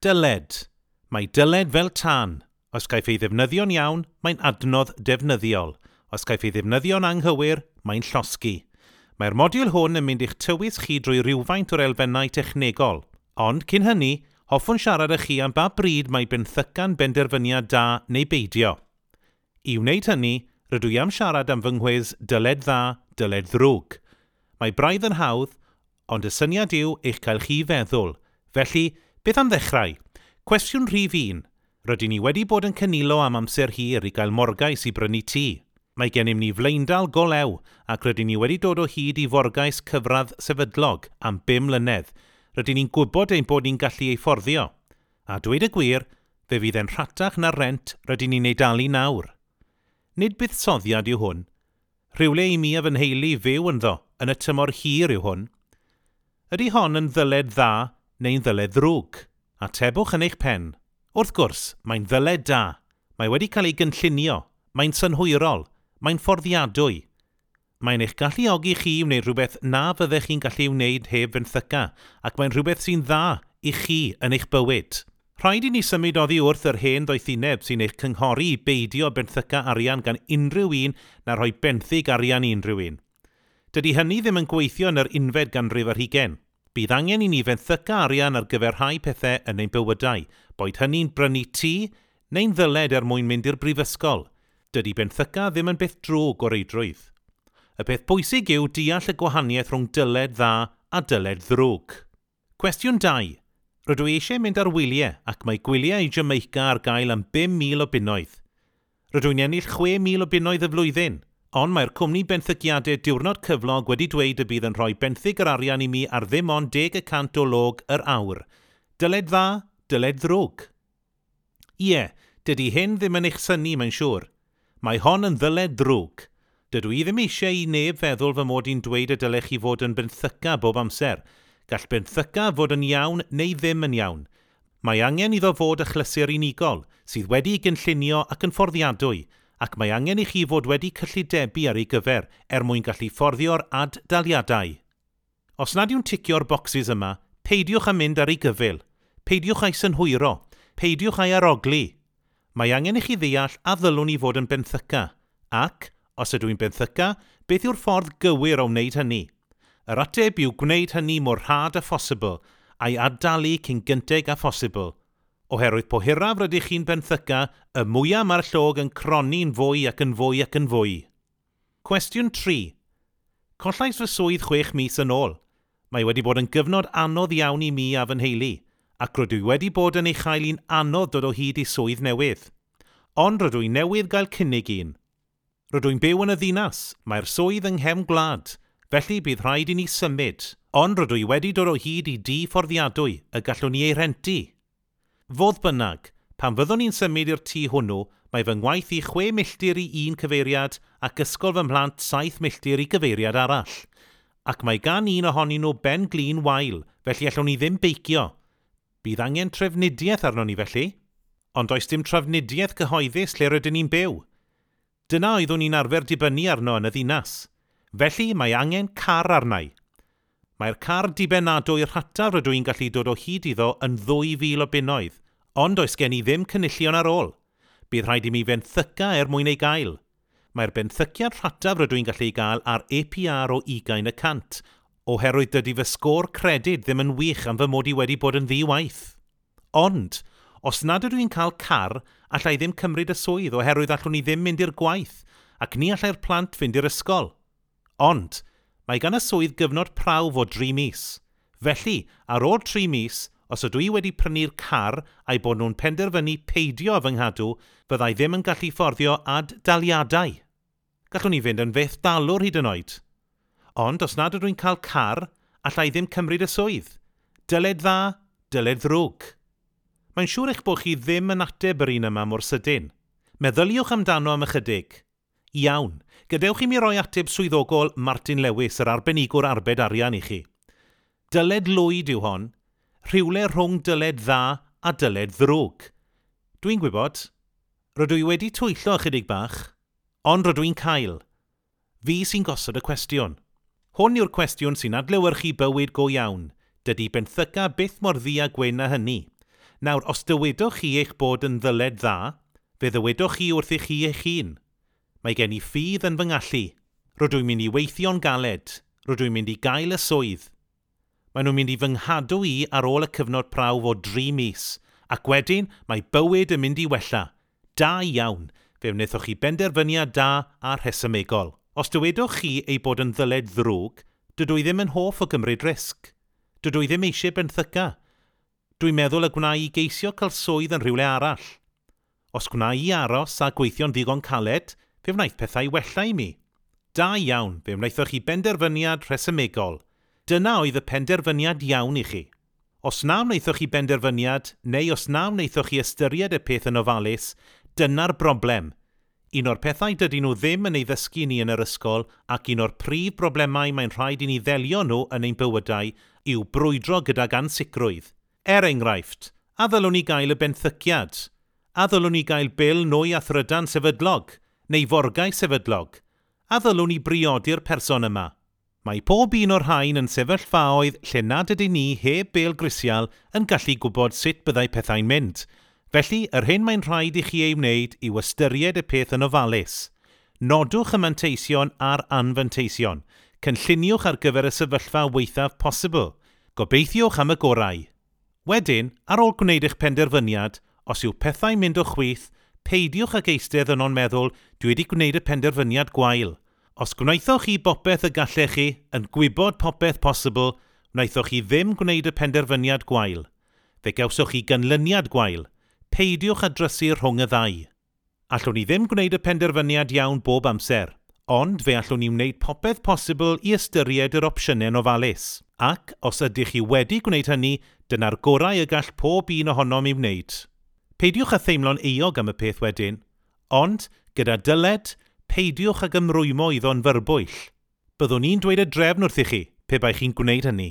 Dyled. Mae dyled fel tân. Os caiff ei ddefnyddio'n iawn, mae'n adnodd defnyddiol. Os caiff ei ddefnyddio'n anghywir, mae'n llosgi. Mae'r modiwl hwn yn mynd i'ch tywys chi drwy rywfaint o'r elfennau technegol. Ond, cyn hynny, hoffwn siarad â chi am ba bryd mae benthyca'n benderfyniad da neu beidio. I wneud hynny, rydw i am siarad am fy nghwis Dyled Dda, Dyled Ddrwg. Mae braidd yn hawdd, ond y syniad yw eich cael chi feddwl. Felly, beth am ddechrau? Cwestiwn rhif un. Rydyn ni wedi bod yn cynilo am amser hir i gael morgais i brynu tŷ. Mae gennym ni flaendal go lew ac rydyn ni wedi dod o hyd i forgais cyfradd sefydlog am bum mlynedd. Rydyn ni'n gwybod ein bod ni'n gallu ei fforddio. A dweud y gwir, fe fydd e'n rhatach na'r rhent rydyn ni'n ei dalu nawr. Nid buddsoddiad yw hwn. Rhywle i mi a fy nheulu fyw ynddo yn y tymor hir yw hwn. Ydy hon yn ddyled dda neu'n ddyled ddrwg? Atebwch yn eich pen. Wrth gwrs, mae'n ddyled da. Mae wedi cael ei gynllunio. Mae'n synhwyrol. Mae'n fforddiadwy. Mae'n eich galluogi chi i wneud rhywbeth na fyddech chi'n gallu ei wneud heb fenthyca, ac mae'n rhywbeth sy'n dda i chi yn eich bywyd. Rhaid i ni symud oddi wrth yr hen ddoethineb sy'n eich cynghori i beidio benthyca arian gan unrhyw un na rhoi benthyg arian i unrhyw un. Dydy hynny ddim yn gweithio yn yr unfed ganrif ar hugain. Bydd angen i ni fenthyca arian ar gyfer rhai pethau yn ein bywydau, boed hynny'n brynu tŷ neu'n ddyled er mwyn mynd i'r brifysgol. Dydy benthyca ddim yn beth drwg o reidrwydd. Y peth pwysig yw deall y gwahaniaeth rhwng dyled dda a dyled ddrwg. Cwestiwn 2. Rydw i eisiau mynd ar wyliau ac mae gwyliau i Jamaica ar gael am 5,000 o bunnoedd. Rydw i'n ennill 6,000 o bunnoedd y flwyddyn, ond mae'r cwmni benthyciadau diwrnod cyflog wedi dweud y bydd yn rhoi benthyg yr arian i mi ar ddim ond 10% o log yr awr. Dyled dda, dyled ddrwg. Ie, dydy hyn ddim yn eich synnu mae'n siŵr. Mae hon yn ddyled ddrwg. Dydw i ddim eisiau i neb feddwl fy mod i'n dweud y dylech chi fod yn benthyca bob amser. Gall benthyca fod yn iawn neu ddim yn iawn. Mae angen iddo fod achlysur unigol, sydd wedi'i gynllunio ac yn fforddiadwy, ac mae angen i chi fod wedi cyllidebu ar ei gyfer er mwyn gallu fforddio'r ad-daliadau. Os nad yw'n ticio'r bocsys yma, peidiwch â mynd ar ei gyfyl. Peidiwch â'i synhwyro. Peidiwch â'i arogli. Mae angen i chi ddeall a ddylwn i fod yn benthyca, ac, os ydw i'n benthyca, beth yw'r ffordd gywir o wneud hynny? Yr ateb yw gwneud hynny mor rhad â phosibl, a'i ad-dalu cyn gynted â phosibl. Oherwydd po hiraf rydych chi'n benthyca, y mwyaf mae'r llog yn cronni'n fwy ac yn fwy ac yn fwy. Cwestiwn 3. Collais fy swydd chwech mis yn ôl. Mae wedi bod yn gyfnod anodd iawn i mi a fy nheulu, ac rydw i wedi bod yn ei chael hi'n anodd dod o hyd i swydd newydd. Ond rydw i newydd gael cynnig un. Rydw i'n byw yn y ddinas, mae'r swydd yng nghefn gwlad, felly bydd rhaid i ni symud, ond rydw i wedi dod o hyd i dŷ fforddiadwy y gallwn ni ei rhentu. Fodd bynnag, pan fyddwn ni'n symud i'r tŷ hwnnw, mae fy ngwaith i chwe milltir i un cyfeiriad ac ysgol fy mhlant saith milltir i gyfeiriad arall. Ac mae gan un ohonyn nhw ben glin wael, felly allwn ni ddim beicio. Bydd angen trafnidiaeth arnon ni felly. Ond does dim trafnidiaeth gyhoeddus lle rydyn ni'n byw. Dyna oeddwn i'n arfer dibynnu arno yn y ddinas. Felly mae angen car arna i. Mae'r car dibynadwy rhataf rydw i'n gallu dod o hyd iddo yn 2,000 o bunnoedd, ond does gen i ddim cynillion ar ôl. Bydd rhaid i mi fenthyca er mwyn ei gael. Mae'r benthyciad rhataf rydw i'n gallu ei gael ar APR o 20%, oherwydd dydy fy sgôr credyd ddim yn wych am fy mod i wedi bod yn ddi-waith. Ond, os nad ydw i'n cael car, alla i ddim cymryd y swydd oherwydd allwn i ddim mynd i'r gwaith, ac ni allai'r plant fynd i'r ysgol. Ond, mae gan y swydd gyfnod prawf o dri mis. Felly, ar ôl tri mis, os ydw i wedi prynu'r car a'i bod nhw'n penderfynu peidio â fy nghadw, fyddai ddim yn gallu fforddio ad-daliadau. Gallwn i fynd yn fethdalwr hyd yn oed. Ond, os nad ydw i'n cael car, alla i ddim cymryd y swydd. Dyled dda, dyled ddrwg. Mae'n siŵr eich bod chi ddim yn ateb yr un yma mor sydyn. Meddyliwch amdano am ychydig. Iawn, gadewch i mi roi ateb swyddogol Martin Lewis, yr arbenigwr arbed arian i chi. Dyled lwyd yw hon, rhywle rhwng dyled dda a dyled ddrwg. Dwi'n gwybod, rydw i wedi twyllo ychydig bach, ond rydw i'n cael. Fi sy'n gosod y cwestiwn. Hwn yw'r cwestiwn sy'n adlewyrchu bywyd go iawn. Dydy benthyca byth mor ddu a gwyn â hynny. Nawr, os dywedwch chi eich bod yn ddyled dda, fe ddywedwch chi wrth chi eich hun. Mae gen i ffydd yn fy ngallu. Rydw i'n mynd i weithio'n galed. Rydw i'n mynd i gael y swydd. Maen nhw'n mynd i fy nghadw i ar ôl y cyfnod prawf o 3 mis, ac wedyn mae bywyd yn mynd i wella. Da iawn, fe wnaethoch chi benderfyniad da a rhesymegol. Os dywedwch chi ei bod yn ddyled ddrwg, dydw i ddim yn hoff o gymryd risg. Dydw i ddim eisiau benthyca. Dwi'n meddwl y gwna i geisio cael swydd yn rhywle arall. Os gwna i aros a gweithio'n ddigon caled, fe wnaeth pethau wella i mi. Da iawn, fe wnaethoch chi benderfyniad rhesymegol. Dyna oedd y penderfyniad iawn i chi. Os na wnaethoch chi benderfyniad, neu os na wnaethoch chi ystyried y peth yn ofalus, dyna'r broblem. Un o'r pethau dydyn nhw ddim yn ei ddysgu ni yn yr ysgol ac un o'r prif broblemau mae'n rhaid i ni ddelio nhw yn ein bywydau yw brwydro gydag ansicrwydd. Er enghraifft, a ddylwn ni gael y benthyciad? A ddylwn ni gael bil nwy a thrydan sefydlog? Neu forgau sefydlog? A ddylwn ni briodi'r person yma? Mae pob un o'r rhain yn sefyllfaoedd lle nad ydyn ni heb bil grisial yn gallu gwybod sut byddai pethau'n mynd. Felly, yr hyn mae'n rhaid i chi ei wneud yw ystyried y peth yn ofalus. Nodwch y manteision a'r anfanteision. Cynlluniwch ar gyfer y sefyllfa waethaf posibl. Gobeithiwch am y gorau. Wedyn, ar ôl gwneud eich penderfyniad, os yw pethau'n mynd o chwith, peidiwch ag eistedd yno'n meddwl dwi wedi gwneud y penderfyniad gwael. Os gwnaethoch chi bopeth y gallech chi, yn gwybod popeth posibl, wnaethoch chi ddim gwneud y penderfyniad gwael. Fe gawsoch chi ganlyniad gwael. Peidiwch â drysu rhwng y ddau. Allwn ni ddim gwneud y penderfyniad iawn bob amser, ond fe allwn ni wneud popeth posibl i ystyried yr opsiynau'n ofalus. Ac, os ydych chi wedi gwneud hynny, dyna'r gorau y gall pob un ohonom ei wneud. Peidiwch â theimlo'n euog am y peth wedyn, ond, gyda dyled, peidiwch ag ymrwymo iddo'n fyrbwyll. Byddwn ni'n dweud y drefn wrthych chi, pe bai chi'n gwneud hynny.